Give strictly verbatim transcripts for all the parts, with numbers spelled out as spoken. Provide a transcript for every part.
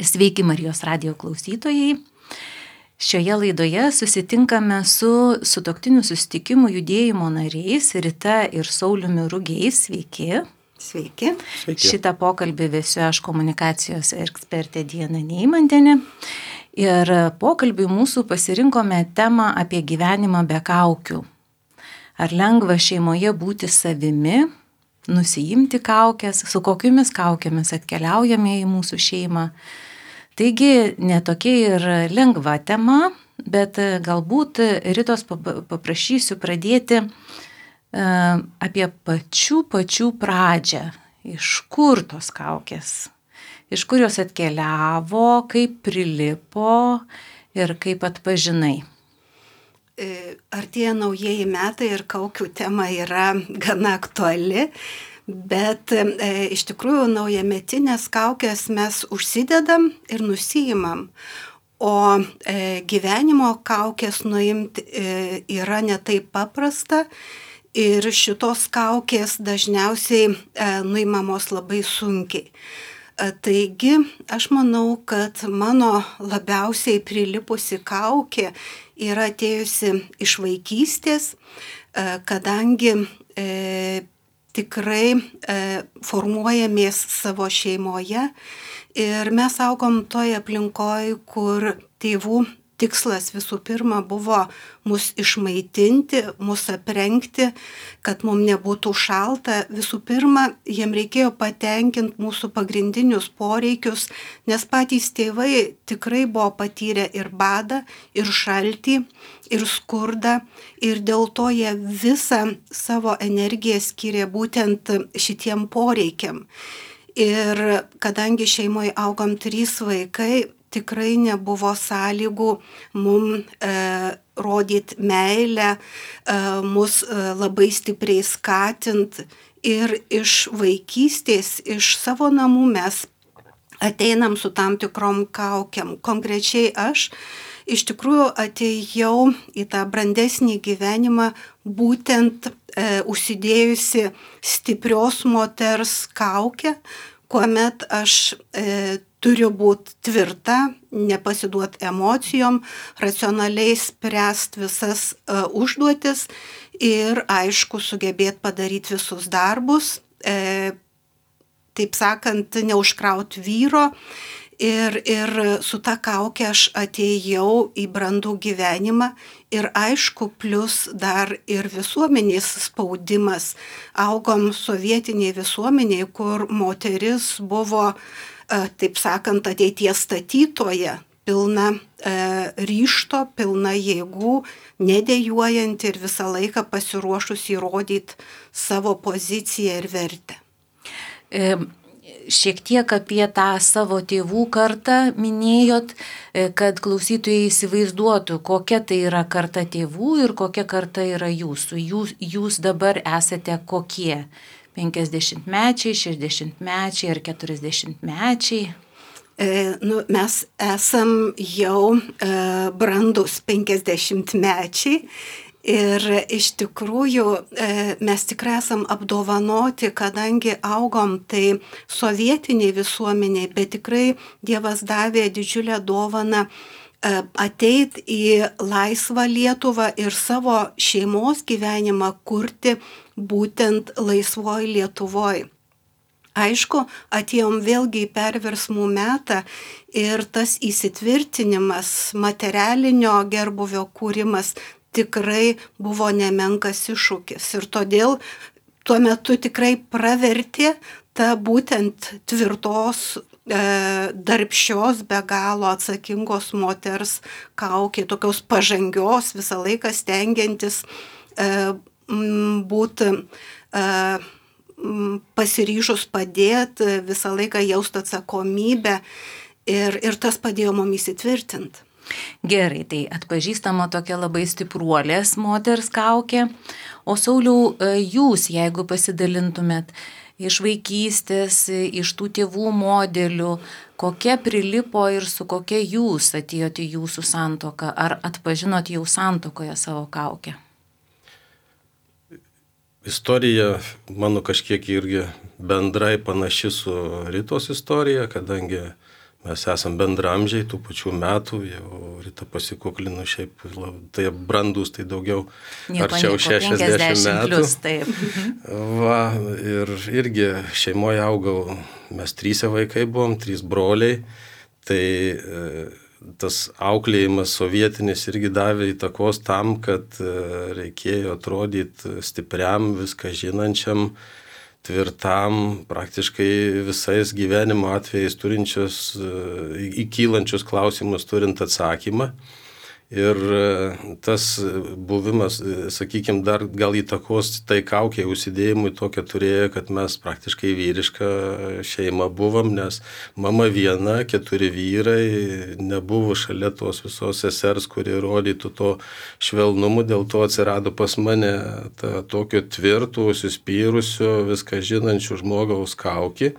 Sveiki Marijos radijo klausytojai. Šioje laidoje susitinkame su sutuoktinių susitikimų judėjimo nariais Rita ir Sauliumi Rugiais. Sveiki. Sveiki. Sveiki. Šitą pokalbį vesiu aš, komunikacijos ekspertė Diana Neimantienė. Ir pokalbiui mūsų pasirinkome temą apie gyvenimą be kaukių. Ar lengva šeimoje būti savimi, nusiimti kaukės, su kokiamis kaukėmis atkeliaujame į mūsų šeimą. Taigi netokia ir lengva tema, bet galbūt Ritos paprašysiu pradėti apie pačių pačių pradžią. Iš kur tos kaukės? Iš kur jos atkeliavo, kaip prilipo ir kaip atpažinai? Artėja naujieji metai ir kaukių tema yra gana aktuali. Bet e, iš tikrųjų naujametinės kaukės mes užsidedam ir nusiimam, o e, gyvenimo kaukės nuimti e, yra ne taip paprasta ir šitos kaukės dažniausiai e, nuimamos labai sunkiai. E, taigi aš manau, kad mano labiausiai prilipusi kaukė yra atėjusi iš vaikystės, e, kadangi e, tikrai e, formuojamės savo šeimoje ir mes augom toje aplinkoje, kur tėvų tikslas visų pirma buvo mus išmaitinti, mus aprengti, kad mums nebūtų šalta. Visų pirma, jiem reikėjo patenkinti mūsų pagrindinius poreikius, nes patys tėvai tikrai buvo patyrę ir badą, ir šaltį, ir skurdą, ir dėl to jie visą savo energiją skiria būtent šitiem poreikiam. Ir kadangi šeimoje augom trys vaikai, tikrai nebuvo sąlygų mum e, rodyti meilę, e, mus e, labai stipriai skatint. Ir iš vaikystės, iš savo namų mes ateinam su tam tikrom kaukiam. Konkrečiai aš iš tikrųjų atėjau į tą brandesnį gyvenimą būtent e, užsidėjusi stiprios moters kaukę, kuomet aš e, turiu būti tvirta, nepasiduoti emocijom, racionaliai spręsti visas e, užduotis ir aišku sugebėti padaryti visus darbus, e, taip sakant, neužkrauti vyro. Ir, ir su ta kaukė aš atėjau į brandų gyvenimą ir aišku, plus dar ir visuomenės spaudimas. Augom sovietiniai visuomeniai, kur moteris buvo, taip sakant, ateities statytoja, pilna e, ryžto, pilna jėgų, nedejuojanti ir visą laiką pasiruošus įrodyti savo poziciją ir vertę. E... Šiek tiek apie tą savo tėvų kartą minėjot, kad klausytojai įsivaizduotų, kokia tai yra karta tėvų ir kokia karta yra jūsų. Jūs, jūs dabar esate kokie? penkiasdešimtmečiai, šešiasdešimtmečiai ar keturiasdešimtmečiai? E, nu, mes esam jau e, brandus penkiasdešimtmečiai. Ir iš tikrųjų mes tikrai esam apdovanoti, kadangi augom tai sovietiniai visuomeniai, bet tikrai Dievas davė didžiulę dovaną ateit į laisvą Lietuvą ir savo šeimos gyvenimą kurti būtent laisvoj Lietuvoj. Aišku, atėjom vėlgi į perversmų metą ir tas įsitvirtinimas, materialinio gerbuvio kūrimas tikrai buvo nemenkas iššūkis ir todėl tuo metu tikrai pravertė ta būtent tvirtos, e, darbščios, be galo atsakingos moters kaukė, tokios pažangios, visą laiką stengiantis e, būti e, pasiryžus padėti, visą laiką jausti atsakomybę ir, ir tas padėjo mums įsitvirtinti. Gerai, tai atpažįstama tokia labai stipruolės moters kaukė. O Sauliau, jūs, jeigu pasidalintumėt iš vaikystės, iš tų tėvų modelių, kokia prilipo ir su kokia jūs atėjote į jūsų santuoką, ar atpažinot jau santuokoje savo kaukę? Istorija mano kažkiek irgi bendrai panaši su Ritos istorija, kadangi mes esam bendramžiai, tų pačių metų, jau Rita pasikuklinu, šiaip tai brandus, tai daugiau nieko, arčiau nieko, šešiasdešimt metų. Plus, taip. Va, ir irgi šeimoje augau, mes trysia vaikai buvom, trys broliai, tai tas auklėjimas sovietinis irgi davė įtakos tam, kad reikėjo atrodyti stipriam, viską žinančiam, tvirtam, praktiškai visais gyvenimo atvejais turinčius, įkylančius klausimus turint atsakymą. Ir tas buvimas, sakykime, dar gal įtakos tai kaukiai užsidėjimui tokia turėjo, kad mes praktiškai vyriška šeima buvom, nes mama viena, keturi vyrai, nebuvo šalia tos visos sesers, kuri rodytų to švelnumu, dėl to atsirado pas mane ta, tokio tvirto, užsispyrusio, viską žinančių žmogaus kaukį.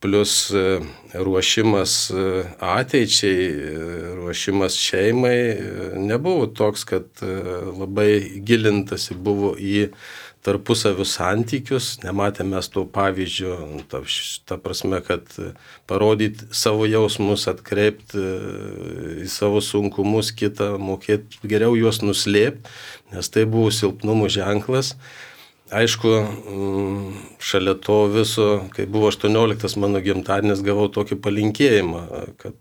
Plus ruošimas ateičiai, ruošimas šeimai nebuvo toks, kad labai gilintasi buvo į tarpusavio santykius, nematėme mes to pavyzdžio, ta, ta prasme, kad parodyti savo jausmus, atkreipti į savo sunkumus kitą, mokėti geriau juos nuslėpti, nes tai buvo silpnumo ženklas. Aišku, šalia to viso, kai buvo aštuonioliktas mano gimtadienis, gavau tokį palinkėjimą, kad,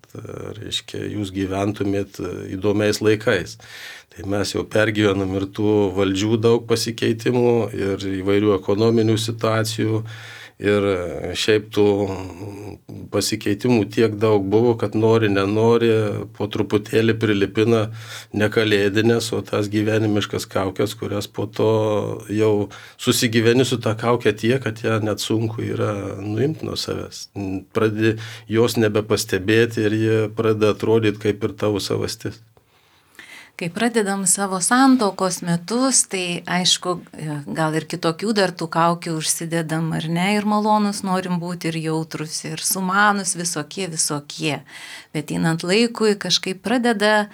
reiškia, jūs gyventumėt įdomiais laikais. Tai mes jau pergyvenom ir tų valdžių daug pasikeitimų ir įvairių ekonominių situacijų. Ir šiaip tų pasikeitimų tiek daug buvo, kad nori, nenori, po truputėlį prilipina ne kalėdinės, o tas gyvenimiškas kaukės, kurias po to jau susigyveni su tą kaukę tiek, kad ją net sunku yra nuimti nuo savęs. Pradedi jos nebepastebėti ir jie pradeda atrodyti kaip ir tavo savastis. Kai pradedam savo santuokos metus, tai aišku, gal ir kitokių dar tų kaukių užsidedam, ar ne, ir malonus norim būti, ir jautrus, ir sumanus, visokie, visokie. Bet einant laikui kažkaip pradeda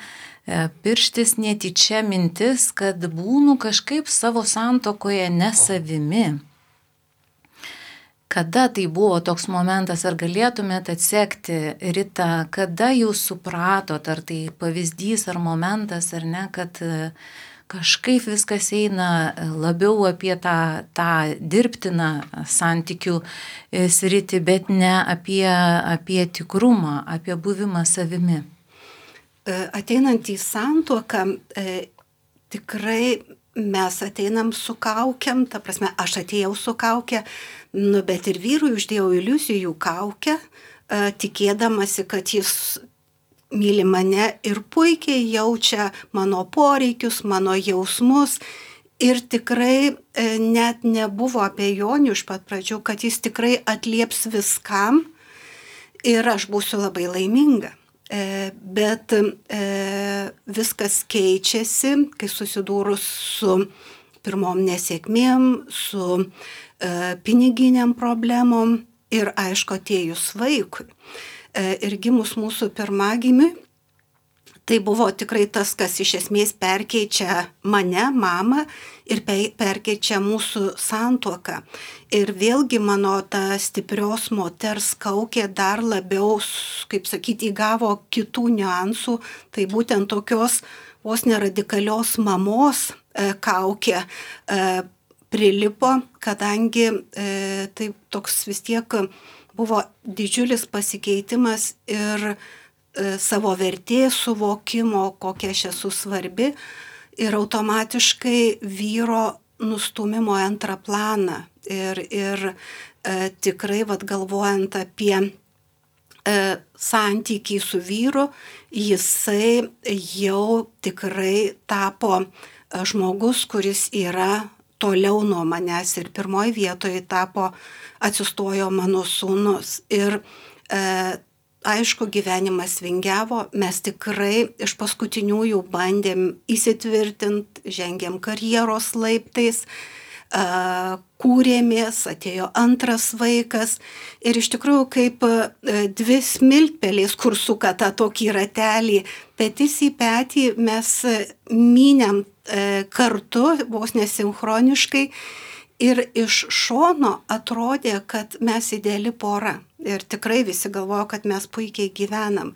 pirštis netyčia mintis, kad būnu kažkaip savo santuokoje ne savimi. Kada tai buvo toks momentas, ar galėtumėt atsekti, Rita, kada jūs supratot, ar tai pavyzdys, ar momentas, ar ne, kad kažkaip viskas eina labiau apie tą, tą dirbtiną santykių sritį, bet ne apie, apie tikrumą, apie buvimą savimi? Ateinant į santuoką, e, tikrai mes ateinam su kaukiam, ta prasme, aš atėjau su kaukia, nu, bet ir vyrui uždėjau iliuzijų kaukę, e, tikėdamasi, kad jis myli mane ir puikiai jaučia mano poreikius, mano jausmus. Ir tikrai e, net nebuvo abejonių iš pat pradžių, kad jis tikrai atlieps viskam ir aš būsiu labai laiminga. E, bet e, viskas keičiasi, kai susidūrus su pirmom nesėkmėm, su e, piniginiam problemom ir aišku atėjus vaikui. E, ir gimus mūsų pirmagimiui, tai buvo tikrai tas, kas iš esmės perkeičia mane, mamą ir perkeičia mūsų santuoką. Ir vėlgi mano ta stiprios moters kaukė dar labiau, kaip sakyti, įgavo kitų niuansų. Tai būtent tokios vos neradikalios mamos e, kaukė e, prilipo, kadangi e, tai toks vis tiek buvo didžiulis pasikeitimas ir savo vertės suvokimo, kokia aš esu svarbi ir automatiškai vyro nustumimo antrą planą. Ir, ir e, tikrai vat, galvojant apie e, santykį su vyru, jisai jau tikrai tapo e, žmogus, kuris yra toliau nuo manęs ir pirmoji vietoje tapo, atsistojo mano sūnus. Ir e, aišku, gyvenimas vingiavo, mes tikrai iš paskutiniųjų bandėm įsitvirtinti, žengėm karjeros laiptais, kūrėmės, atėjo antras vaikas ir iš tikrųjų kaip dvi smiltpelės, kur suka tą tokį ratelį, petys į petį mes mynėm kartu, vos nesinchroniškai Ir iš šono atrodė, kad mes ideali pora. Ir tikrai visi galvojo, kad mes puikiai gyvenam.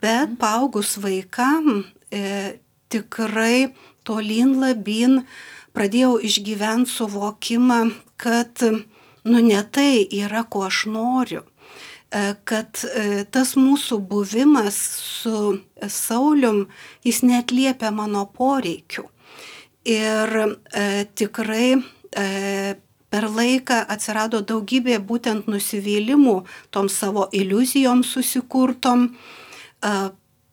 Bet paaugus vaikam, tikrai tolyn labyn pradėjau išgyventi suvokimą, kad nu ne tai yra, ko aš noriu. Kad tas mūsų buvimas su Saulium, jis neatliepia mano poreikių. Ir e, tikrai e, per laiką atsirado daugybė būtent nusivylimų tom savo iliuzijom susikurtom. E,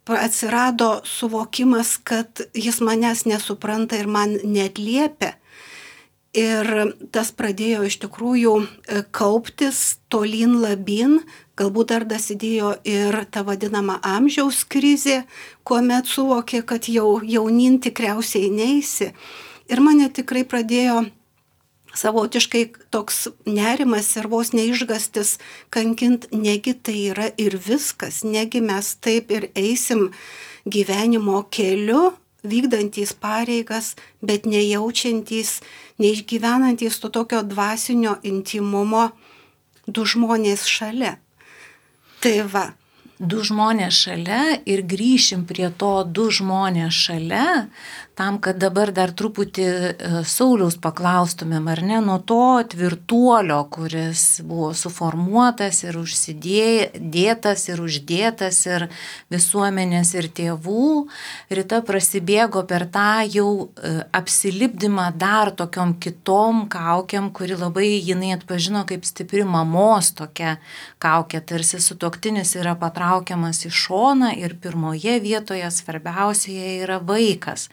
atsirado suvokimas, kad jis manęs nesupranta ir man neatliepia. Ir tas pradėjo iš tikrųjų kauptis tolyn labyn. Galbūt dar dasidėjo ir ta vadinama amžiaus krizė, kuomet suvokė, kad jau jaunin tikriausiai neisi. Ir mane tikrai pradėjo savotiškai toks nerimas ir vos neišgastis kankint, negi tai yra ir viskas, negi mes taip ir eisim gyvenimo keliu, vykdantys pareigas, bet nejaučiantys, neišgyvenantys to tokio dvasinio intimumo du žmonės šalia. Tai va. Du žmonės šalia ir grįšim prie to du žmonės šalia, tam, kad dabar dar truputį Sauliaus paklaustumėm, ar ne, nuo to tvirtuolio, kuris buvo suformuotas ir užsidėtas ir uždėtas ir visuomenės ir tėvų. Rita prasibėgo per tą jau apsilipdymą dar tokiom kitom kaukiam, kuri labai jinai atpažino kaip stipri mamos tokia kaukė, tarsi sutuoktinis yra patraukiamas į šoną ir pirmoje vietoje svarbiausioje yra vaikas.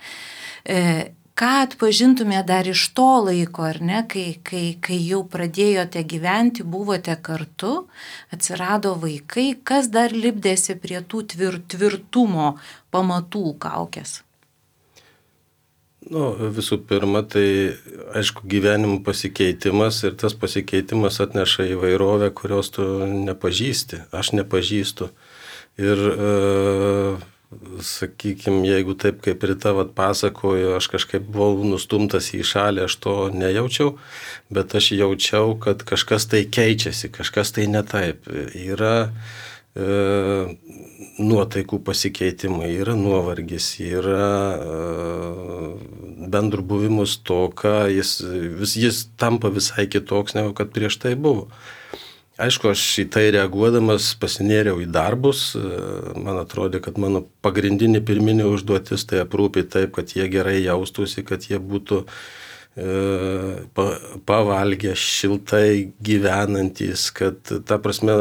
E, ką atpažintumė dar iš to laiko, ar ne, kai, kai, kai jau pradėjote gyventi, buvote kartu, atsirado vaikai, kas dar lipdėsi prie tų tvir, tvirtumo pamatų kaukės? Nu, visų pirma, tai aišku gyvenimo pasikeitimas ir tas pasikeitimas atneša įvairovę, kurios tu nepažįsti, aš nepažįstu. Ir e, sakykime, jeigu taip kaip Rita vat pasakojo, aš kažkaip buvau nustumtas į šalį, aš to nejaučiau, bet aš jaučiau, kad kažkas tai keičiasi, kažkas tai ne taip. Yra e, nuotaikų pasikeitimai, yra nuovargis, yra e, bendrų buvimų stoka, jis, vis, jis tampa visai kitoks, negu kad prieš tai buvo. Aišku, aš į tai reaguodamas pasinėriau į darbus, man atrodė, kad mano pagrindinė pirminė užduotis tai aprūpinti taip, kad jie gerai jaustųsi, kad jie būtų e, pa, pavalgę, šiltai gyvenantys, kad ta prasme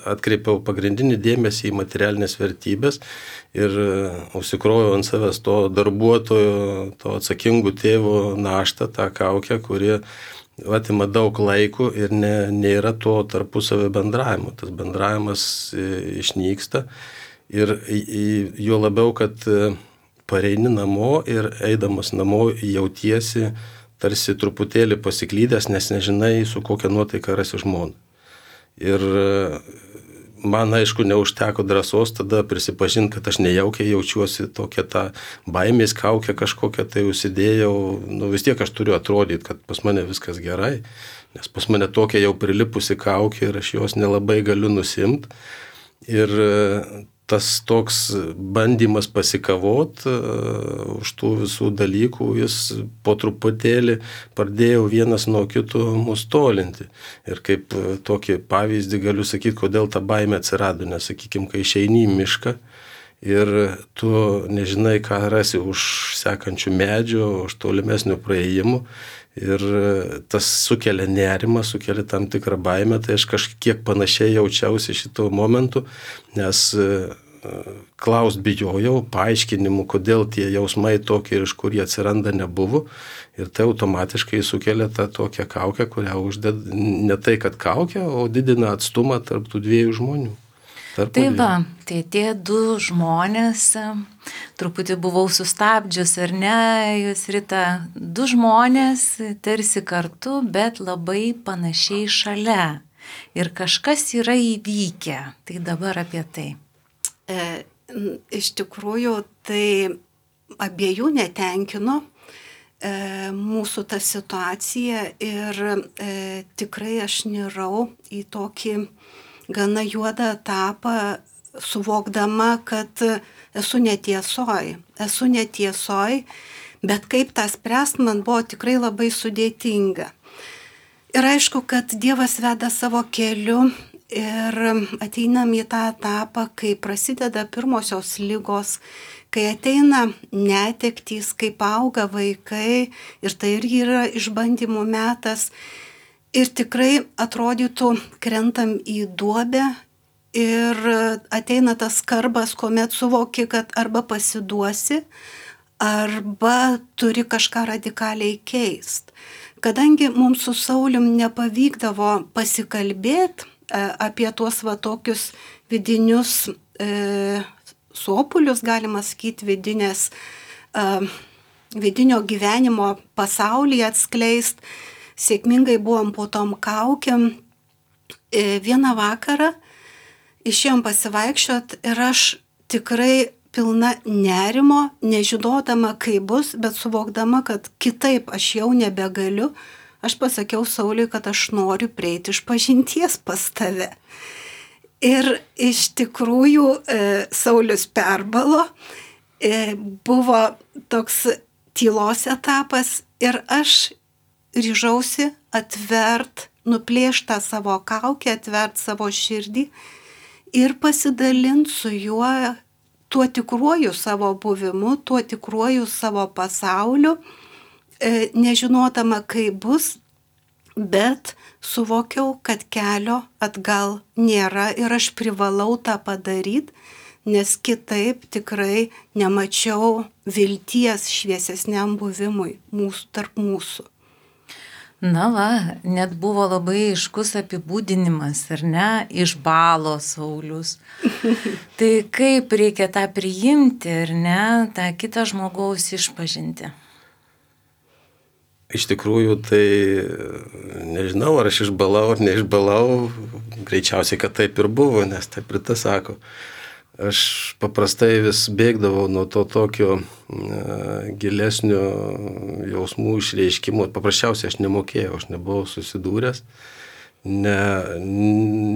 atkreipiau pagrindinį dėmesį į materialinės vertybės ir užsikroviau ant savęs to darbuotojo, to atsakingų tėvo naštą, tą kaukę, kuri atima daug laiko ir ne, nėra to tarpusavio bendravimo. Tas bendravimas išnyksta ir juo labiau, kad pareini namo ir eidamas namo jautiesi tarsi truputėlį pasiklydęs, nes nežinai, su kokia nuotaika rasi žmoną. Ir man, aišku, neužteko drąsos tada prisipažinti, kad aš nejaukiai jaučiuosi tokia tą baimės kaukę kažkokią tai užsidėjau. Nu, vis tiek aš turiu atrodyti, kad pas mane viskas gerai, nes pas mane tokia jau prilipusi kaukė ir aš jos nelabai galiu nusimti. Ir tas toks bandymas pasikavot uh, už tų visų dalykų, jis po truputėlį pradėjo vienas nuo kito mus tolinti. Ir kaip uh, tokį pavyzdį galiu sakyti, kodėl ta baimė atsirado, nes, sakykime, kai išeini į mišką ir tu nežinai, ką rasi už sekančių medžių, už tolimesnių praėjimų. Ir tas sukelia nerimą, sukelia tam tikrą baimę, tai aš kažkiek panašiai jaučiausi šito momentu, nes klaust bijojau, paaiškinimų, kodėl tie jausmai tokie ir iš kur jie atsiranda nebuvo. Ir tai automatiškai sukelia tą tokią kaukę, kurią uždeda ne tai, kad kaukę, o didina atstumą tarp tų dviejų žmonių. Tai va, tai tie du žmonės, truputį buvau sustabdžius, ar ne, jūs, Rita, du žmonės tarsi kartu, bet labai panašiai šalia. Ir kažkas yra įvykę. Tai dabar apie tai. E, iš tikrųjų, tai abiejų netenkino e, mūsų tą situaciją ir e, tikrai aš nirau į tokį gana juodą etapą, suvokdama, kad esu netiesoj, esu netiesoj, bet kaip tą spręst man buvo tikrai labai sudėtinga. Ir aišku, kad Dievas veda savo keliu ir ateinam į tą etapą, kai prasideda pirmosios ligos, kai ateina netektys, kaip auga vaikai ir tai irgi yra išbandymų metas. Ir tikrai atrodytų, krentam į duobę ir ateina tas skarbas, kuomet suvoki, kad arba pasiduosi, arba turi kažką radikaliai keist. Kadangi mums su Saulium nepavykdavo pasikalbėti apie tuos va tokius vidinius e, sopulius, galima sakyti, vidinės, e, vidinio gyvenimo pasaulyje atskleist, sėkmingai buvom po tom kaukiam. E, vieną vakarą išėjom pasivaikščiot ir aš tikrai pilna nerimo, nežinodama, kaip bus, bet suvokdama, kad kitaip aš jau nebegaliu, aš pasakiau Sauliui, kad aš noriu prieiti iš pažinties pas tave. Ir iš tikrųjų e, Saulius perbalo, e, buvo toks tylos etapas ir aš ryžausi atvert, nuplėšti tą savo kaukę, atvert savo širdį ir pasidalinti su juo tuo tikruoju savo buvimu, tuo tikruoju savo pasauliu, e, nežinodama, kaip bus, bet suvokiau, kad kelio atgal nėra ir aš privalau tą padaryti, nes kitaip tikrai nemačiau vilties šviesesniam buvimui mūsų, tarp mūsų. Na va, net buvo labai aiškus apibūdinimas, ar ne, išbalo Saulius. Tai kaip reikia tą priimti, ar ne, tą kitą žmogaus išpažinti? Iš tikrųjų, tai nežinau, ar aš išbalau ar neišbalau, greičiausiai, kad taip ir buvo, nes taip ir tas sako. Aš paprastai vis bėgdavau nuo to tokio uh, gilesnio jausmų išreiškimo. Paprasčiausiai aš nemokėjau, aš nebuvau susidūręs, ne,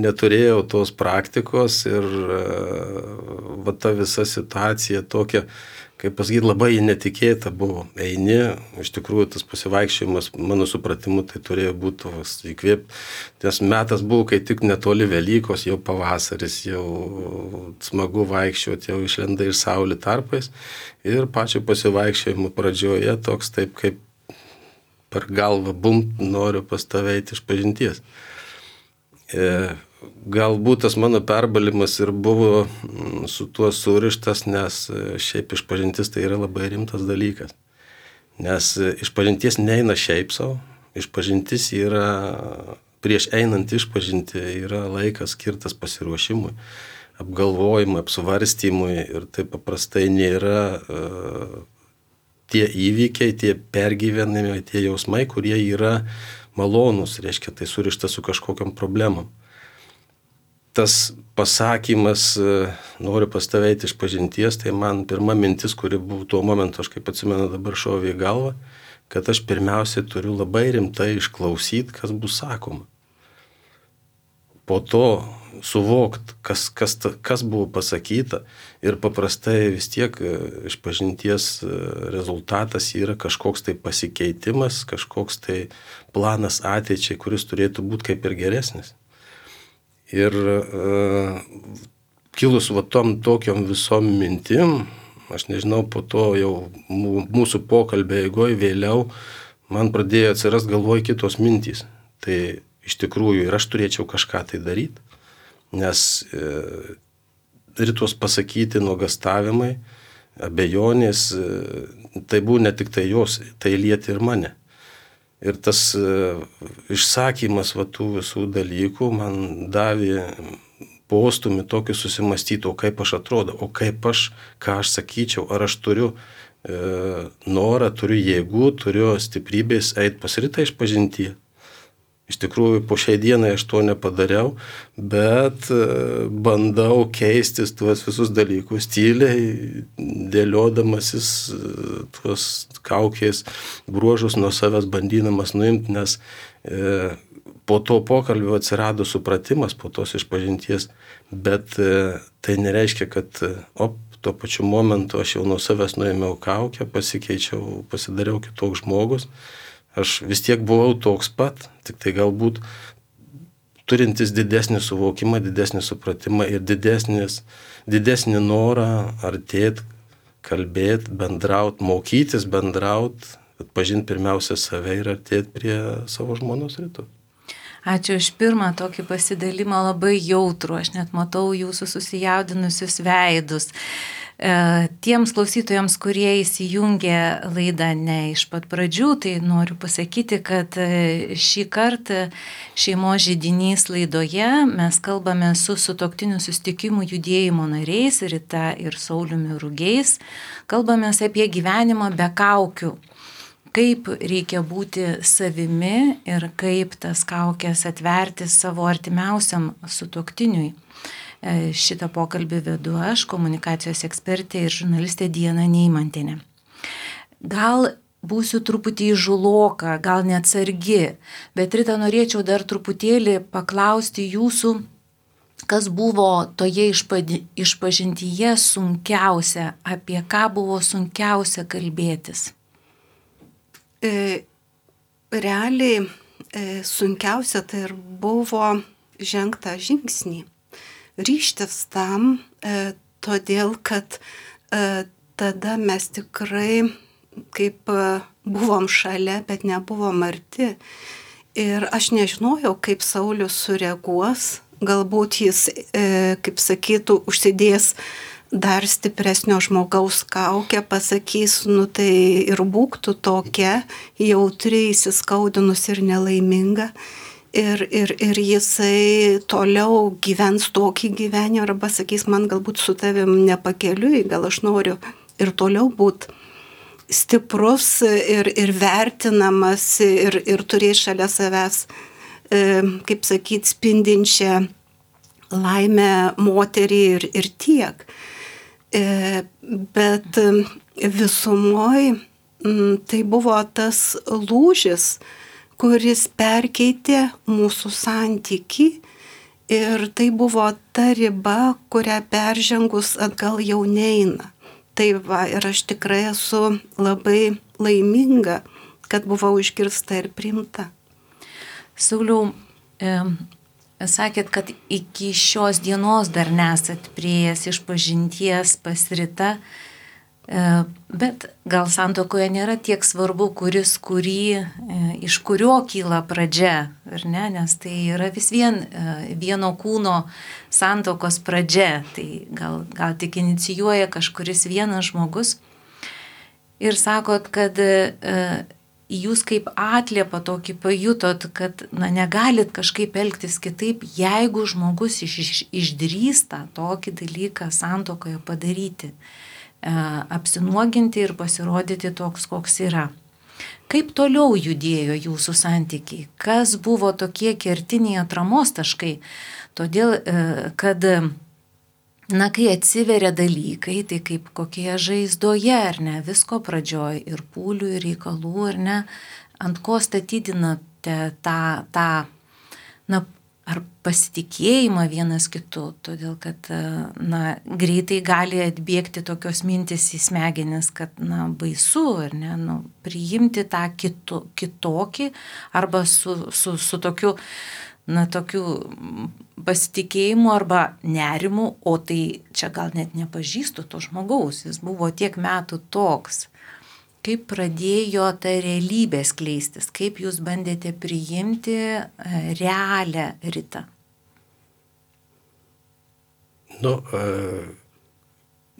neturėjau tos praktikos ir uh, va ta visa situacija tokia, kaip pasakyti, labai netikėta buvo. Eini, iš tikrųjų tas pasivaikščiojimas, mano supratimu, tai turėjo būti įkvėpti. Nes metas buvo, kai tik netoli Velykos, jau pavasaris, jau smagu vaikščioti, jau išlenda iš saulė tarpais. Ir pačio pasivaikščiojimo pradžioje toks taip, kaip per galvą bumt, noriu pas tave eiti iš pažinties. E, Galbūt tas mano perbalimas ir buvo su tuo surištas, nes šiaip išpažintis tai yra labai rimtas dalykas. Nes išpažintis neina šiaip savo, išpažintis yra, prieš einant išpažinti yra laikas skirtas pasiruošimui, apgalvojimui, apsvarstymui ir tai paprastai nėra uh, tie įvykiai, tie pergyvenimai, tie jausmai, kurie yra malonūs, reiškia tai surišta su kažkokiam problemam. Tas pasakymas, noriu pas tave eiti iš pažinties, tai man pirma mintis, kuri buvo tuo momentu, aš kaip atsimenu dabar šovė į galvą, kad aš pirmiausiai turiu labai rimtai išklausyti, kas bus sakoma. Po to suvokti, kas, kas, kas buvo pasakyta ir paprastai vis tiek iš pažinties rezultatas yra kažkoks tai pasikeitimas, kažkoks tai planas ateičiai, kuris turėtų būti kaip ir geresnis. Ir uh, kilus va tom tokiom visom mintim, aš nežinau, po to jau mūsų pokalbio eigoje vėliau man pradėjo atsirast galvoj kitos mintys. Tai iš tikrųjų ir aš turėčiau kažką tai daryti, nes uh, ir tuos pasakyti nuogastavimai, abejonės, uh, tai buvo ne tik tai jos, tai lieti ir mane. Ir tas uh, išsakymas va, tų visų dalykų man davė postumį tokį susimastyti, o kaip aš atrodo, o kaip aš, ką aš sakyčiau, ar aš turiu uh, norą, turiu jėgų, turiu stiprybės eiti pas Ritą iš pažinties. Iš tikrųjų, po šiai dienai aš to nepadariau, bet bandau keistis tuos visus dalykus tyliai, dėliodamasis tuos kaukės bruožus nuo savęs bandydamas nuimti, nes e, po to pokalbio atsirado supratimas, po tos išpažinties, bet e, tai nereiškia, kad op, tuo pačiu momentu aš jau nuo savęs nuėmiau kaukę, pasikeičiau, pasidariau kitoks žmogus. Aš vis tiek buvau toks pat, tik tai galbūt turintis didesnį suvokimą, didesnį supratimą ir didesnis, didesnį norą artėti, kalbėti, bendrauti, mokytis, bendrauti, atpažinti pirmiausia save ir artėti prie savo žmonos rytų. Ačiū už pirmą tokį pasidalimą, labai jautrų, aš net matau jūsų susijaudinusius veidus. Tiems klausytojams, kurie įsijungė laidą ne iš pat pradžių, tai noriu pasakyti, kad šį kartą šeimos židinys laidoje mes kalbame su sutuoktinių susitikimų judėjimo nariais, Rita ir Sauliumi Rugiais. Kalbame apie gyvenimą be kaukių, kaip reikia būti savimi ir kaip tas kaukės atverti savo artimiausiam sutuoktiniui. Šitą pokalbį vedu aš, komunikacijos ekspertė ir žurnalistė Diana Neimantienė. Gal būsiu truputį įžuloka, gal neatsargi, bet Rita, norėčiau dar truputėlį paklausti jūsų, kas buvo toje išpažintyje sunkiausia, apie ką buvo sunkiausia kalbėtis? E, realiai e, sunkiausia tai ir buvo žengtą žingsnį. Ryžtis tam, e, todėl kad e, tada mes tikrai kaip e, buvom šalia, bet nebuvom arti. Ir aš nežinojau, kaip Saulius sureaguos, galbūt jis, e, kaip sakytų, užsidės dar stipresnio žmogaus kaukę, pasakys, nu tai ir būk tu tokia, jautri, įsiskaudinus ir nelaiminga. Ir, ir, ir jisai toliau gyvens tokį gyvenimą arba sakys, man galbūt su tavim nepakeliui, gal aš noriu ir toliau būti stiprus ir, ir vertinamas ir, ir turėti šalia savęs, e, kaip sakyt, spindinčią laimę moterį ir, ir tiek. E, bet visumoj m, tai buvo tas lūžis, kuris perkeitė mūsų santykį ir tai buvo ta riba, kurią peržengus atgal jau neina. Tai va, ir aš tikrai esu labai laiminga, kad buvau išgirsta ir priimta. Sauliau, e, sakėt, kad iki šios dienos dar nesat priėjęs išpažinties pas Rita, bet gal santuokoje nėra tiek svarbu, kuris kurį, iš kurio kyla pradžia, ar ne? Nes tai yra vis vien vieno kūno santuokos pradžia, tai gal, gal tik inicijuoja kažkuris vienas žmogus. Ir sakot, kad jūs kaip atliepą tokį pajutot, kad na, negalit kažkaip elgtis kitaip, jeigu žmogus iš, iš, išdrįsta tokį dalyką santuokoje padaryti. Apsinuoginti ir pasirodyti toks, koks yra. Kaip toliau judėjo jūsų santykiai? Kas buvo tokie kertiniai atramos taškai? Todėl, kad, na, kai atsiveria dalykai, tai kaip kokie žaizdoje, ar ne, visko pradžioj ir pūlių, ir reikalų, ar ne, ant ko statydinate tą, tą, na, ar pasitikėjimą vienas kitu, todėl kad, na, greitai gali atbėgti tokios mintis į smegenis, kad, na, baisu, ar ne, nu, priimti tą kitu, kitokį, arba su, su, su tokiu, na, tokiu pasitikėjimu arba nerimu, o tai čia gal net nepažįstu to žmogaus, jis buvo tiek metų toks. Kaip pradėjo ta realybė skleistis, kaip jūs bandėte priimti realią Ritą? Nu,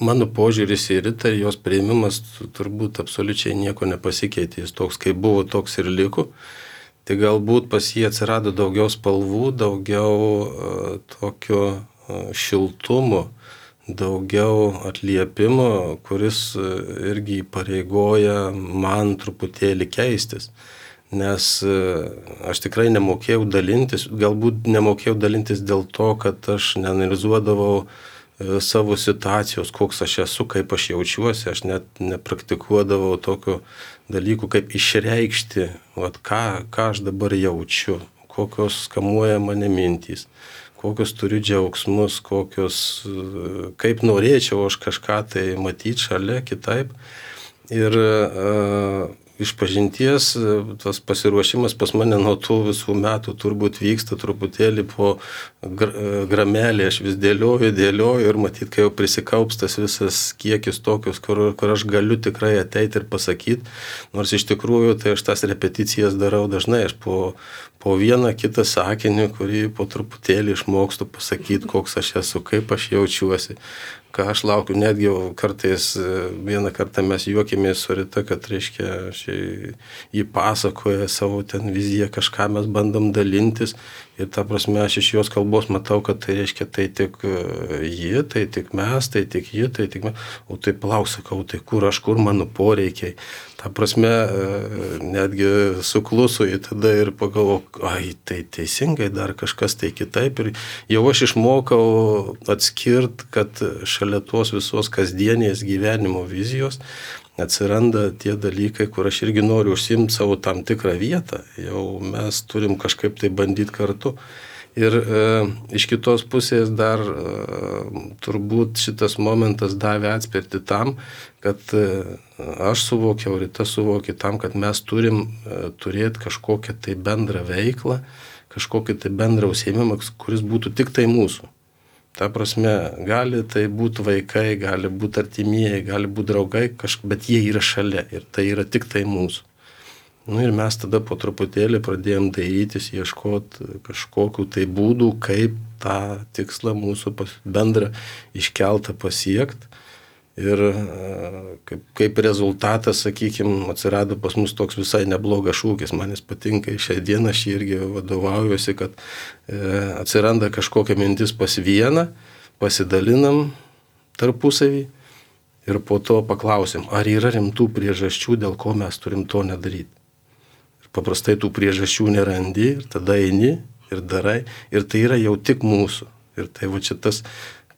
mano požiūris į Ritą ir jos priėmimas turbūt absoliučiai nieko nepasikeitė, jis toks kaip buvo, toks ir liko. Tai galbūt pas jį atsirado daugiau spalvų, daugiau tokio šiltumo, daugiau atliepimo, kuris irgi įpareigoja man truputėlį keistis. nes aš tikrai nemokėjau dalintis, galbūt nemokėjau dalintis dėl to, kad aš neanalizuodavau savo situacijos, koks aš esu, kaip aš jaučiuosi, aš net nepraktikuodavau tokių dalykų, kaip išreikšti, vat, ką, ką aš dabar jaučiu, kokios kamuoja mane mintys, kokios turiu džiaugsmus, kokios, kaip norėčiau aš kažką tai matyti šalia kitaip. Ir uh, išpažinties tas pasiruošimas pas mane nuo tų visų metų turbūt vyksta truputėlį po gramelį, aš vis dėlioju, dėlioju ir matyt, kai jau prisikaups tas visas kiekis tokius, kur, kur aš galiu tikrai ateiti ir pasakyti, nors iš tikrųjų tai aš tas repeticijas darau dažnai, aš po, po vieną kitą sakinį, kurį po truputėlį išmokstu pasakyti, koks aš esu, kaip aš jaučiuosi, ką aš laukiu, netgi kartais vieną kartą mes juokėmės su Rita, kad reiškia, jį pasakoja savo ten viziją, kažką mes bandom dalintis ir ta prasme aš iš jos kalbos matau, kad tai reiškia, tai tik ji, tai tik mes, tai tik ji, tai tik mes, o tai palauk, sakau, tai kur aš, kur mano poreikiai. Ta prasme, netgi suklusu į tada ir pagalvoju, ai, tai teisingai dar kažkas tai kitaip. Ir jau aš išmokau atskirti, kad šalia tos visos kasdienės gyvenimo vizijos atsiranda tie dalykai, kur aš irgi noriu užsiimti savo tam tikrą vietą. Jau mes turim kažkaip tai bandyti kartu. Ir e, iš kitos pusės dar e, turbūt šitas momentas davė atspirti tam, kad e, aš suvokiau, Rita suvokė tam, kad mes turim e, turėti kažkokią tai bendrą veiklą, kažkokį tai bendrą užsiėmimą, kuris būtų tik tai mūsų. Ta prasme, gali tai būti vaikai, gali būti artimieji, gali būti draugai, kažk... bet jie yra šalia ir tai yra tik tai mūsų. Nu ir mes tada po truputėlį pradėjom dairytis, ieškoti kažkokių tai būdų, kaip tą tikslą mūsų bendrą iškeltą pasiekti. Ir kaip, kaip rezultatas, sakykime, atsirado pas mus toks visai neblogas šūkis, man jis patinka, šią dieną aš irgi vadovaujuosi, kad e, atsiranda kažkokia mintis pas vieną, pasidalinam tarpusavį ir po to paklausim, ar yra rimtų priežasčių, dėl ko mes turim to nedaryti. Paprastai tų priežasčių nerandi ir tada eini ir darai ir tai yra jau tik mūsų. Ir tai va čia tas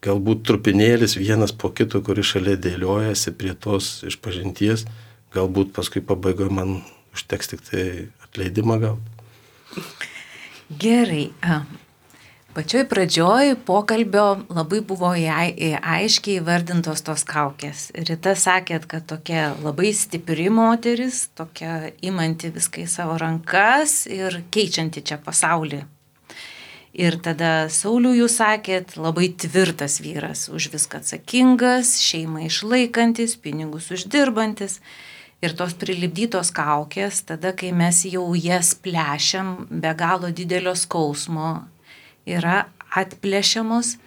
galbūt trupinėlis vienas po kito, kuris šalia dėliojasi prie tos išpažinties, galbūt paskui pabaigoje man užteks tik tai atleidimą gauti. Gerai. Pačioj pradžioj pokalbio labai buvo aiškiai įvardintos tos kaukės. Rita sakėt, kad tokia labai stipri moteris, tokia imanti viską į savo rankas ir keičianti čia pasaulį. Ir tada Saulių jūs sakėt, labai tvirtas vyras, už viską atsakingas, šeimą išlaikantis, pinigus uždirbantis. Ir tos prilipdytos kaukės, tada kai mes jau jas plešiam be galo didelio skausmo, yra atplėšiamos,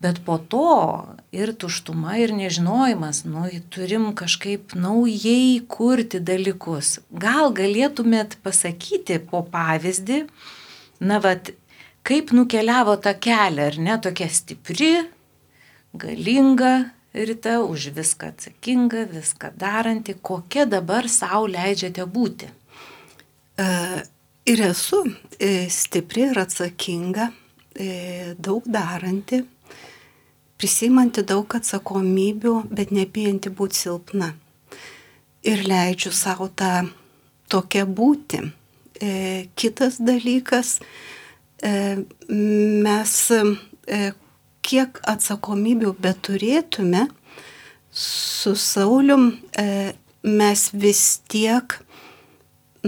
bet po to ir tuštuma, ir nežinojimas, nu, turim kažkaip naujai kurti dalykus. Gal galėtumėt pasakyti po pavyzdį, na, vat, kaip nukeliavo tą kelią, ar ne, tokia stipri, galinga Rita, už viską atsakinga, viską daranti, kokia dabar sau leidžiate būti? Uh. Ir esu stipri ir atsakinga, daug daranti, prisimanti daug atsakomybių, bet nebijanti būti silpna. Ir leidžiu savo tą tokią būti. Kitas dalykas, mes kiek atsakomybių beturėtume, su Saulium mes vis tiek,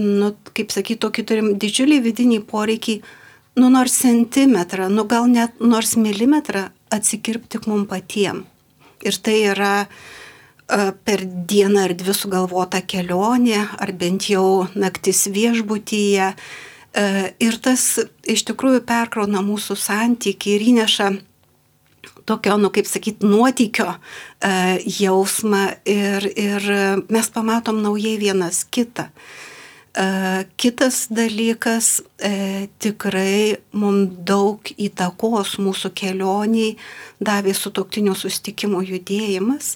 nu, kaip sakyti, tokį turim didžiulį vidinį poreikį, nu, nors centimetrą, nu, gal net nors milimetrą atsikirpti mums patiem. Ir tai yra uh, per dieną ar dvi sugalvota kelionė, ar bent jau naktis viešbutyje. Uh, ir tas iš tikrųjų perkrauna mūsų santykį ir įneša tokio, nu, kaip sakyti, nuotykio uh, jausmą ir, ir mes pamatom naujai vienas kitą. Uh, kitas dalykas, uh, tikrai mums daug įtakos mūsų kelioniai davė sutuoktinių susitikimų judėjimas,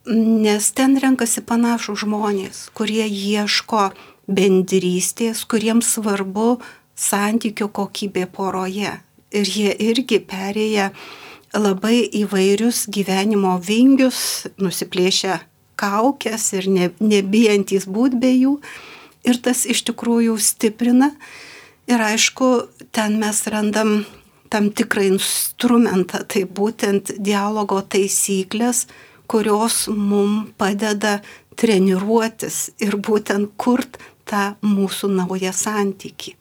nes ten renkasi panašų žmonės, kurie ieško bendrystės, kuriems svarbu santykių kokybė poroje. Ir jie irgi perėję labai įvairius gyvenimo vingius, nusiplėšę kaukės ir ne, nebijantys būt be jų. Ir tas iš tikrųjų stiprina. Ir aišku, ten mes randam tam tikrą instrumentą, tai būtent dialogo taisyklės, kurios mums padeda treniruotis ir būtent kurt tą mūsų naują santykį.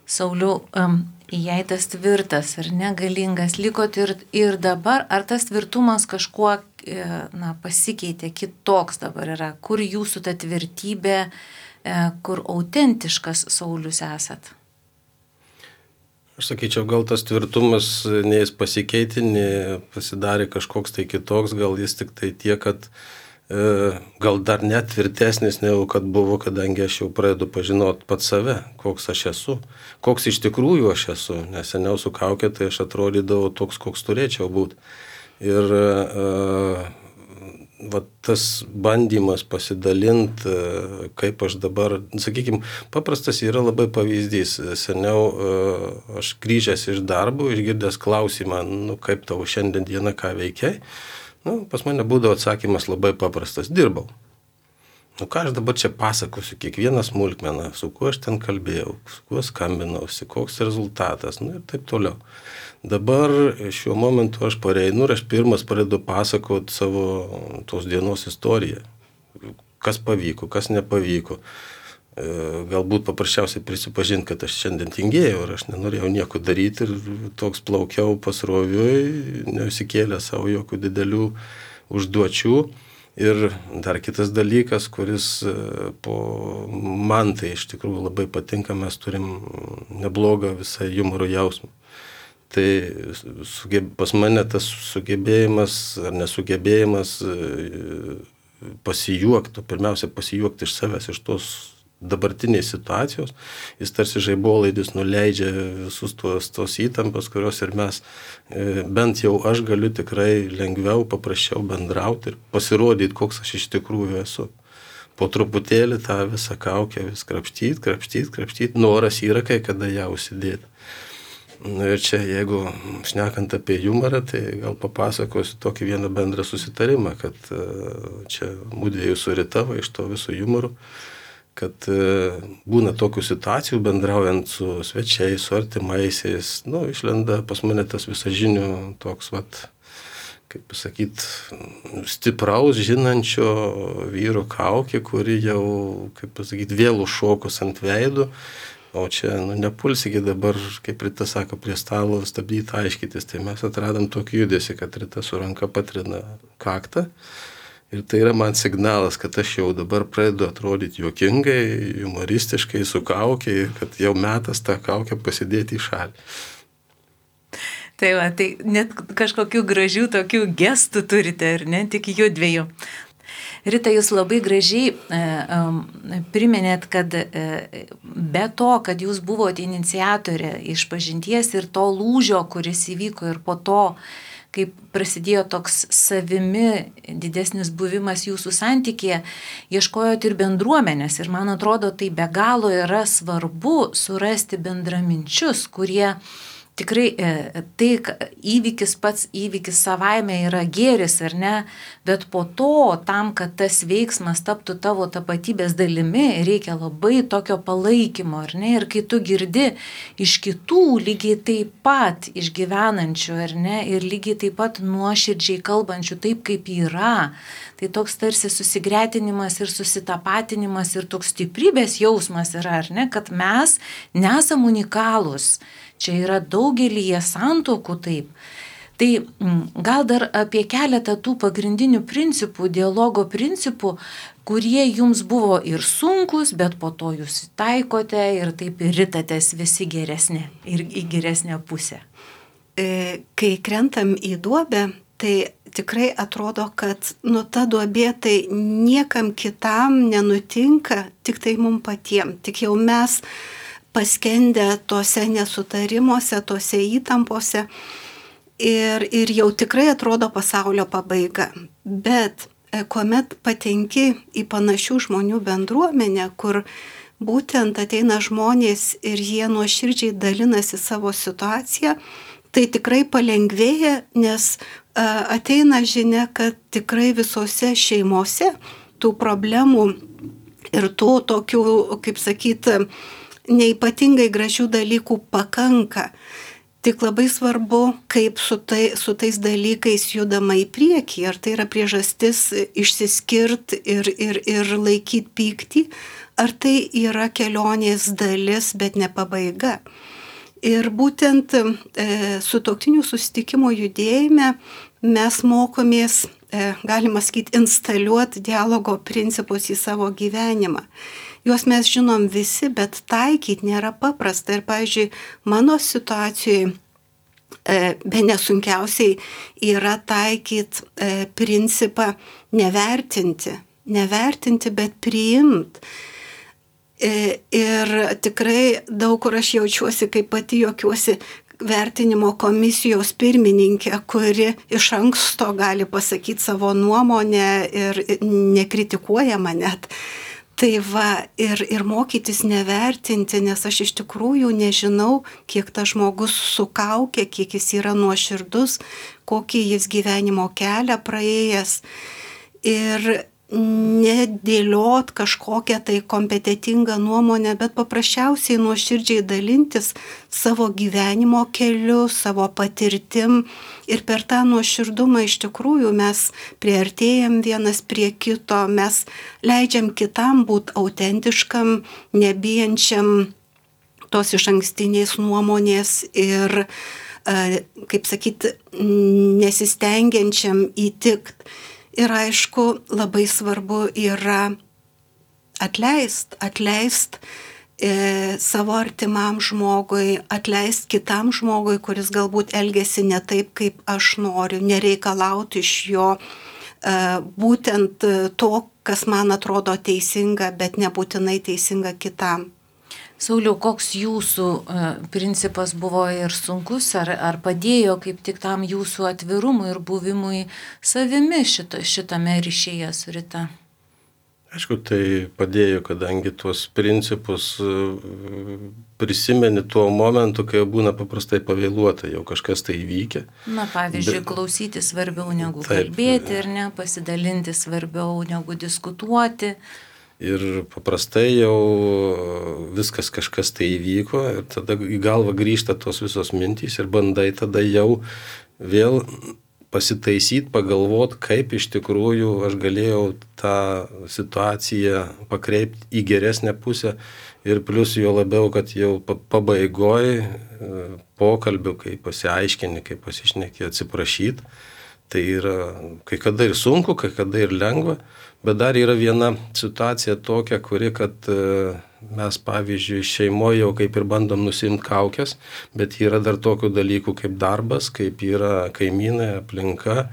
Sauliau, um, jei tas tvirtas ir negalingas likot ir, ir dabar, ar tas tvirtumas kažkuo na, pasikeitė, kitoks dabar yra? Kur jūsų ta tvirtybė, kur autentiškas Saulius esat? Aš sakyčiau, gal tas tvirtumas nei jis pasikeitė, nei pasidarė kažkoks tai kitoks, gal jis tik tai tiek, kad e, gal dar net tvirtesnis, negu kad buvo, kadangi aš jau pradedu pažinoti pat save, koks aš esu, koks iš tikrųjų aš esu, nes seniau su kaukė, tai aš atrodydavau toks, koks turėčiau būti. Ir e, va, tas bandymas pasidalinti, kaip aš dabar, sakykime, paprastas yra labai pavyzdys. Seniau aš grįžęs iš darbo, išgirdęs klausimą, nu, kaip tavo šiandien dieną, ką veikiai, nu, pas mane būdavo atsakymas labai paprastas, dirbau. Nu, ką aš dabar čia pasakosiu, kiekvieną smulkmeną, su kuo aš ten kalbėjau, su kuo skambinausi, koks rezultatas, nu ir taip toliau. Dabar šiuo momentu aš pareinu ir aš pirmas pradedu pasakoti savo tos dienos istoriją. Kas pavyko, kas nepavyko. Galbūt paprasčiausiai prisipažinti, kad aš šiandien tingėjau ir aš nenorėjau nieko daryti ir toks plaukiau pasroviui, neusikėlė savo jokių didelių užduočių. Ir dar kitas dalykas, kuris po man tai iš tikrųjų labai patinka, mes turim neblogą visą humoro jausmą. Tai sugeb, pas mane tas sugebėjimas ar nesugebėjimas pasijuokti, pirmiausia pasijuokti iš savęs, iš tos dabartinės situacijos, jis tarsi žaibolaidis nuleidžia visus tos, tos įtampas, kurios ir mes, bent jau aš galiu tikrai lengviau, paprasčiau bendrauti ir pasirodyti, koks aš iš tikrųjų esu. Po truputėlį tą visą kaukę vis krapštyti, krapštyti, krapštyti, noras yra kai kada ją užsidėti. Nu ir čia, jeigu šnekant apie humorą, tai gal papasakosiu tokį vieną bendrą susitarimą, kad čia mūdviejų su Rita iš to viso humoro, kad būna tokių situacijų bendraujant su svečiais, su artimaisiais, nu, išlenda pas mane tas visažinių toks, vat, kaip pasakyt, stipraus, žinančio vyro kaukė, kuri jau, kaip pasakyt, vėl užšokus ant veidų. O čia, nu, nepulsikį dabar, kaip Rita sako, prie stalo stabdyti, aiškytis. Tai mes atradom tokį judesį, kad Rita su ranka patrina kaktą. Ir tai yra man signalas, kad aš jau dabar pradedu atrodyti juokingai, humoristiškai, su kaukė, ir kad jau metas tą kaukę pasidėti į šalį. Tai va, tai net kažkokių gražių tokių gestų turite, ar ne, tik judviejų. Rita, jūs labai gražiai e, e, priminėt, kad e, be to, kad jūs buvote iniciatorė išpažinties ir to lūžio, kuris įvyko ir po to, kaip prasidėjo toks savimi didesnis buvimas jūsų santykėje, ieškojot ir bendruomenės. Ir man atrodo, tai be galo yra svarbu surasti bendraminčius, kurie tikrai tai įvykis pats įvykis savaime yra gėris, ar ne, bet po to, tam, kad tas veiksmas taptų tavo tapatybės dalimi, reikia labai tokio palaikymo, ar ne, ir kai tu girdi iš kitų lygiai taip pat išgyvenančių, ar ne, ir lygiai taip pat nuoširdžiai kalbančių taip, kaip yra, tai toks tarsi susigretinimas ir susitapatinimas ir toks stiprybės jausmas yra, ar ne, kad mes nesam unikalūs. Čia yra daugelyje santokų taip. Tai gal dar apie keletą tų pagrindinių principų, dialogo principų, kurie jums buvo ir sunkus, bet po to jūs taikote ir taip ir ritatės visi geresnė ir į geresnę pusę. Kai krentam į duobę, tai tikrai atrodo, kad nu ta duobė tai niekam kitam nenutinka, tik tai mums patiems. Tik jau mes paskendę tose nesutarimuose, tose įtampose ir, ir jau tikrai atrodo pasaulio pabaiga. Bet kuomet patenki į panašių žmonių bendruomenę, kur būtent ateina žmonės ir jie nuoširdžiai dalinasi savo situaciją, tai tikrai palengvėja, nes ateina žinia, kad tikrai visose šeimose tų problemų ir tų tokių, kaip sakyti, neipatingai gražių dalykų pakanka. Tik labai svarbu, kaip su, tai, su tais dalykais judama į priekį. Ar tai yra priežastis išsiskirt ir, ir, ir laikyti pyktį, ar tai yra kelionės dalis, bet ne pabaiga. Ir būtent e, sutuoktinių susitikimo judėjime mes mokomės, e, galima sakyti, instaliuoti dialogo principus į savo gyvenimą. Juos mes žinom visi, bet taikyti nėra paprasta. Ir, pavyzdžiui, mano situacijoje e, be nesunkiausiai yra taikyti e, principą nevertinti. Nevertinti, bet priimti. E, ir tikrai daug kur aš jaučiuosi, kaip pati juokiuosi, vertinimo komisijos pirmininkė, kuri iš anksto gali pasakyti savo nuomonę ir nekritikuoja mane. Tai va, ir, ir mokytis nevertinti, nes aš iš tikrųjų nežinau, kiek tas žmogus sukaukia, kiek jis yra nuoširdus, kokį jis gyvenimo kelią praėjęs. Ir nedėliot kažkokią tai kompetitingą nuomonę, bet paprasčiausiai nuoširdžiai dalintis savo gyvenimo keliu, savo patirtim. Ir per tą nuoširdumą iš tikrųjų mes priartėjam vienas prie kito, mes leidžiam kitam būti autentiškam, nebijančiam tos išankstinės nuomonės ir, kaip sakyti, nesistengiančiam įtikt. Ir aišku, labai svarbu yra atleist, atleist e, savo artimam žmogui, atleist kitam žmogui, kuris galbūt elgesi ne taip, kaip aš noriu, nereikalauti iš jo e, būtent to, kas man atrodo teisinga, bet nebūtinai teisinga kitam. Sauliau, koks jūsų uh, principas buvo ir sunkus, ar, ar padėjo kaip tik tam jūsų atvirumui ir buvimui savimi šita, šitame ryšyje su Rita? Aišku, tai padėjo, kadangi tuos principus uh, prisimeni tuo momentu, kai jau būna paprastai pavėluota, jau kažkas tai įvykę. Na, pavyzdžiui, Bet... klausyti svarbiau negu Taip, kalbėti ir ne, pasidalinti svarbiau negu diskutuoti. Ir paprastai jau viskas kažkas tai įvyko ir tada į galvą grįžta tos visos mintys ir bandai tada jau vėl pasitaisyti, pagalvoti, kaip iš tikrųjų aš galėjau tą situaciją pakreipti į geresnę pusę ir plus jo labiau, kad jau pabaigoj pokalbių, kai pasiaiškini, kai pasišneki, atsiprašyti. Tai yra kai kada ir sunku, kai kada ir lengva, bet dar yra viena situacija tokia, kuri, kad mes, pavyzdžiui, šeimoje jau kaip ir bandom nusimti kaukės, bet yra dar tokių dalykų kaip darbas, kaip yra kaimynai, aplinka,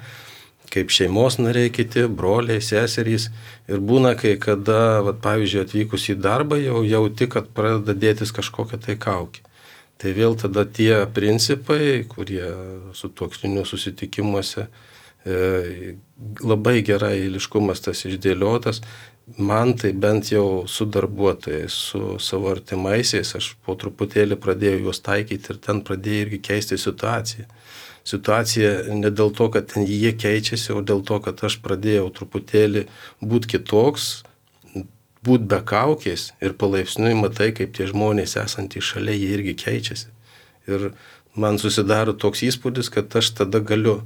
kaip šeimos nariai kiti, broliai, seserys. Ir būna, kai kada, vat, pavyzdžiui, atvykus į darbą, jau jauti, kad pradeda dėtis kažkokia tai kaukė. Tai vėl tada tie principai, kurie sutuoktinių susitikimuose e, labai gerai eiliškumas tas išdėliotas, man tai bent jau su darbuotojais, su savo artimaisiais, aš po truputėlį pradėjau juos taikyti ir ten pradėjau irgi keisti situaciją. Situacija ne dėl to, kad ten jie keičiasi, o dėl to, kad aš pradėjau truputėlį būti kitoks, būti be kaukės ir palaipsniui matai, kaip tie žmonės esantys šalia, jie irgi keičiasi. Ir man susidaro toks įspūdis, kad aš tada galiu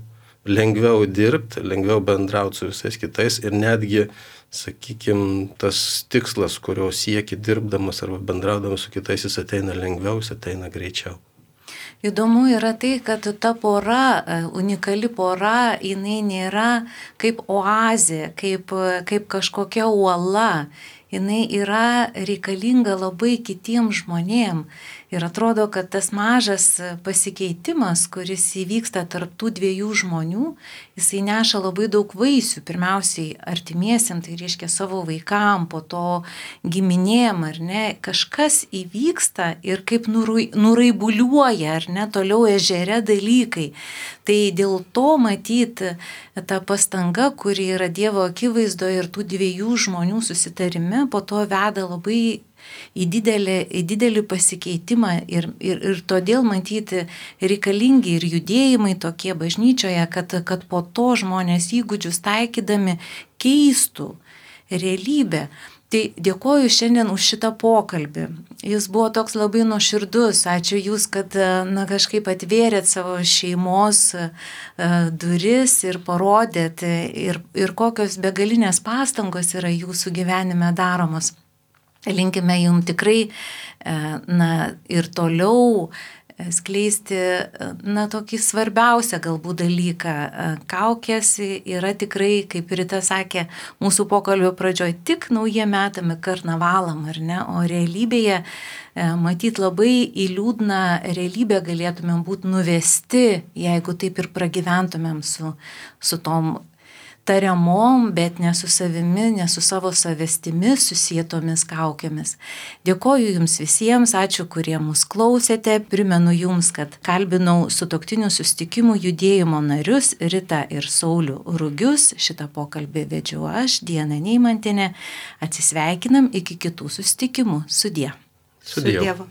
lengviau dirbti, lengviau bendrauti su visais kitais ir netgi, sakykime, tas tikslas, kurio sieki dirbdamas arba bendraudamas su kitais, jis ateina lengviau, jis ateina greičiau. Įdomu yra tai, kad ta pora, unikali pora, jinai nėra kaip oazė, kaip, kaip kažkokia uola. Jinai yra reikalinga labai kitiem žmonėm. Ir atrodo, kad tas mažas pasikeitimas, kuris įvyksta tarp tų dviejų žmonių, jisai neša labai daug vaisių. Pirmiausiai artimiesiam, tai reiškia savo vaikam, po to giminėm, ar ne, kažkas įvyksta ir kaip nuraibuliuoja, ar ne, toliau ežere dalykai. Tai dėl to matyti ta pastanga, kuri yra Dievo akivaizdoje ir tų dviejų žmonių susitarime, po to veda labai į didelį, į didelį pasikeitimą ir, ir, ir todėl matyti reikalingi ir judėjimai tokie bažnyčioje, kad, kad po to žmonės įgūdžius taikydami keistų realybę. Tai dėkoju šiandien už šitą pokalbį. Jis buvo toks labai nuoširdus. Ačiū Jūs, kad na, kažkaip atvėrėt savo šeimos duris ir parodėt ir, ir kokios begalinės pastangos yra Jūsų gyvenime daromos. Linkime Jums tikrai na, ir toliau skleisti na, tokį svarbiausią galbūt dalyką. Kaukės yra tikrai, kaip Rita sakė, mūsų pokalbio pradžioje tik naujiem metam karnavalam, ar ne? O realybėje matyt labai į liūdną realybę galėtumėm būti nuvesti, jeigu taip ir pragyventumėm su, su tom tariamom, bet ne su savimi, ne su savo savestimi susietomis kaukėmis. Dėkoju Jums visiems, ačiū, kurie mus klausėte. Primenu Jums, kad kalbinau sutuoktinių susitikimų judėjimo narius Ritą ir Saulių Rugius. Šitą pokalbį vedžiau aš, Diana Neimantienė. Atsisveikinam iki kitų susitikimų. Sudie. Su Dievu.